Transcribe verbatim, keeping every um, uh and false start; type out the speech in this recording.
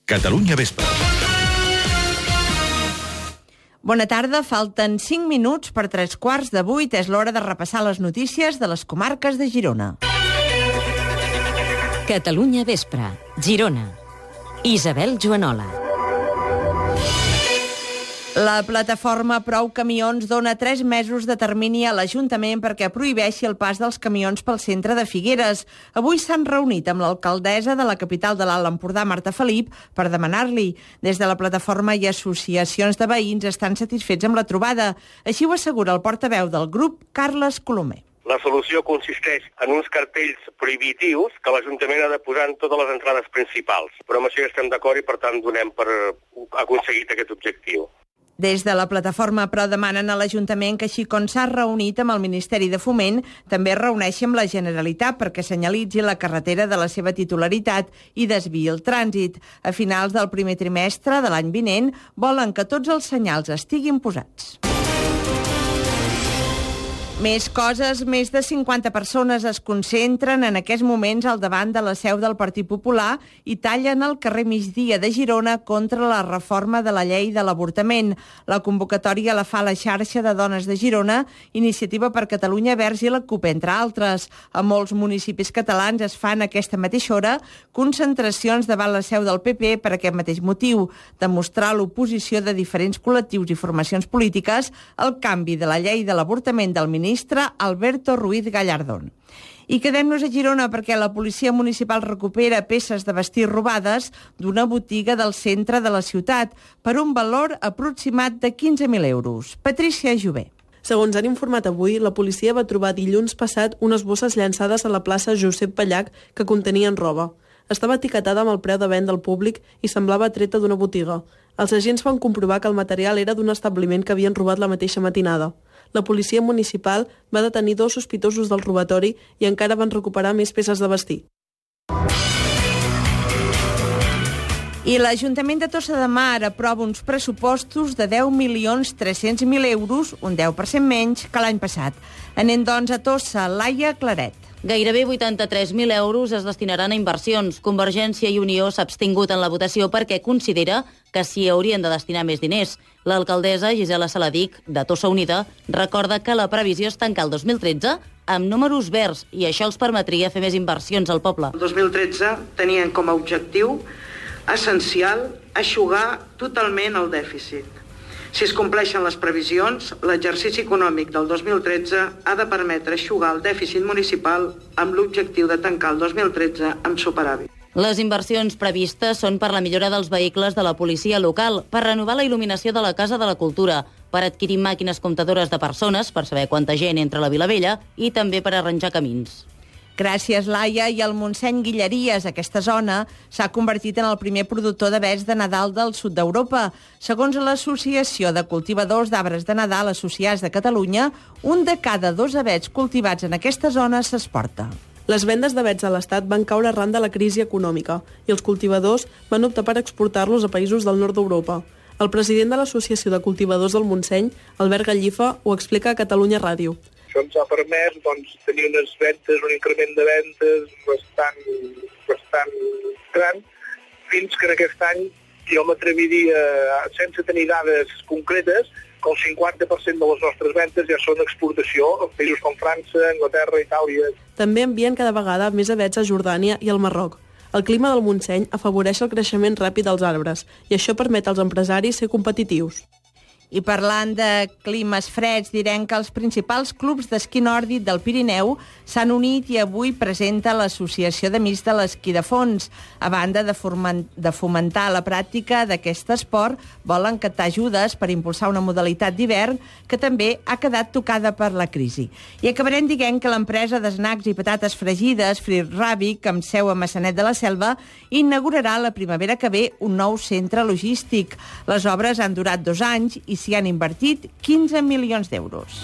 Catalunya Vespre. Bona tarda, falten cinc minuts per tres quarts de vuit. És l'hora de repassar les notícies de les comarques de Girona. Catalunya Vespre, Girona. Isabel Joanola. La plataforma Prou Camions dona tres mesos de termini a l'Ajuntament perquè prohibeixi el pas dels camions pel centre de Figueres. Avui s'han reunit amb l'alcaldessa de la capital de l'Alt Empordà, Marta Felip, per demanar-li. Des de la plataforma i associacions de veïns estan satisfets amb la trobada. Així ho assegura el portaveu del grup, Carles Colomer. La solució consisteix en uns cartells prohibitius que l'Ajuntament ha de posar en totes les entrades principals. Però amb això ja estem d'acord i, per tant, donem per aconseguit aquest objectiu. Des de la plataforma, però, demanen a l'Ajuntament que, així com s'ha reunit amb el Ministeri de Foment, també es reuneixi amb la Generalitat perquè senyalitzi la carretera de la seva titularitat i desviï el trànsit. A finals del primer trimestre de l'any vinent volen que tots els senyals estiguin posats. Més coses, més de cinquanta persones es concentren en aquests moments al davant de la seu del Partit Popular i tallen el carrer Migdia de Girona contra la reforma de la llei de l'avortament. La convocatòria la fa la xarxa de dones de Girona, Iniciativa per Catalunya Verds i la CUP, entre altres. A molts municipis catalans es fan a aquesta mateixa hora concentracions davant la seu del P P per aquest mateix motiu, demostrar l'oposició de diferents col·lectius i formacions polítiques al canvi de la llei de l'avortament del ministre ministre Alberto Ruiz Gallardón. I quedem-nos a Girona perquè la policia municipal recupera peces de vestir robades d'una botiga del centre de la ciutat per un valor aproximat de quinze mil euros. Patrícia Jové. Segons han informat avui, la policia va trobar dilluns passat unes bosses llançades a la plaça Josep Pallach que contenien roba. Estava etiquetada amb el preu de venda al públic i semblava treta d'una botiga. Els agents van comprovar que el material era d'un establiment que havien robat la mateixa matinada. La policia municipal va detenir dos sospitosos del robatori i encara van recuperar més peces de vestir. I l'Ajuntament de Tossa de Mar aprova uns pressupostos de deu milions tres-cents mil euros, un deu per cent menys que l'any passat. Anem, doncs, a Tossa. Laia Claret. Gairebé vuitanta-tres mil euros es destinaran a inversions. Convergència i Unió s'ha abstingut en la votació perquè considera que s'hi haurien de destinar més diners. L'alcaldessa Gisela Saladic, de Tossa Unida, recorda que la previsió és tancar el dos mil tretze amb números verds i això els permetria fer més inversions al poble. El dos mil tretze tenien com a objectiu essencial eixugar totalment el dèficit. Si es compleixen les previsions, l'exercici econòmic del dos mil tretze ha de permetre eixugar el dèficit municipal amb l'objectiu de tancar el dos mil tretze amb superàvit. Les inversions previstes són per la millora dels vehicles de la policia local, per renovar la il·luminació de la Casa de la Cultura, per adquirir màquines comptadores de persones, per saber quanta gent entra a la Vila Vella, i també per arranjar camins. Gràcies, Laia. I el Montseny Guilleries, aquesta zona, s'ha convertit en el primer productor d'avets de Nadal del sud d'Europa. Segons l'Associació de Cultivadors d'Arbres de Nadal Associats de Catalunya, un de cada dos avets cultivats en aquesta zona s'exporta. Les vendes d'avets a l'Estat van caure arran de la crisi econòmica i els cultivadors van optar per exportar-los a països del nord d'Europa. El president de l'Associació de Cultivadors del Montseny, Albert Gallifa, ho explica a Catalunya Ràdio. Això ens ha permès doncs, tenir unes ventes, un increment de ventes bastant, bastant gran, fins que en aquest any jo m'atreviria, sense tenir dades concretes, que el cinquanta per cent de les nostres ventes ja són exportació a països com França, Anglaterra, Itàlia. També envien cada vegada més avets a Jordània i al Marroc. El clima del Montseny afavoreix el creixement ràpid dels arbres i això permet als empresaris ser competitius. I parlant de climes freds, direm que els principals clubs d'esquí nòrdic del Pirineu s'han unit i avui presenta l'Associació d'Amics de l'Esquí de Fons. A banda de, de fomentar la pràctica d'aquest esport, volen captar ajudes per impulsar una modalitat d'hivern que també ha quedat tocada per la crisi. I acabarem dient que l'empresa d'esnacs i patates fregides, Frit Ràbic, amb seu a Maçanet de la Selva, inaugurarà la primavera que ve un nou centre logístic. Les obres han durat dos anys i s'hi han invertit quinze milions d'euros.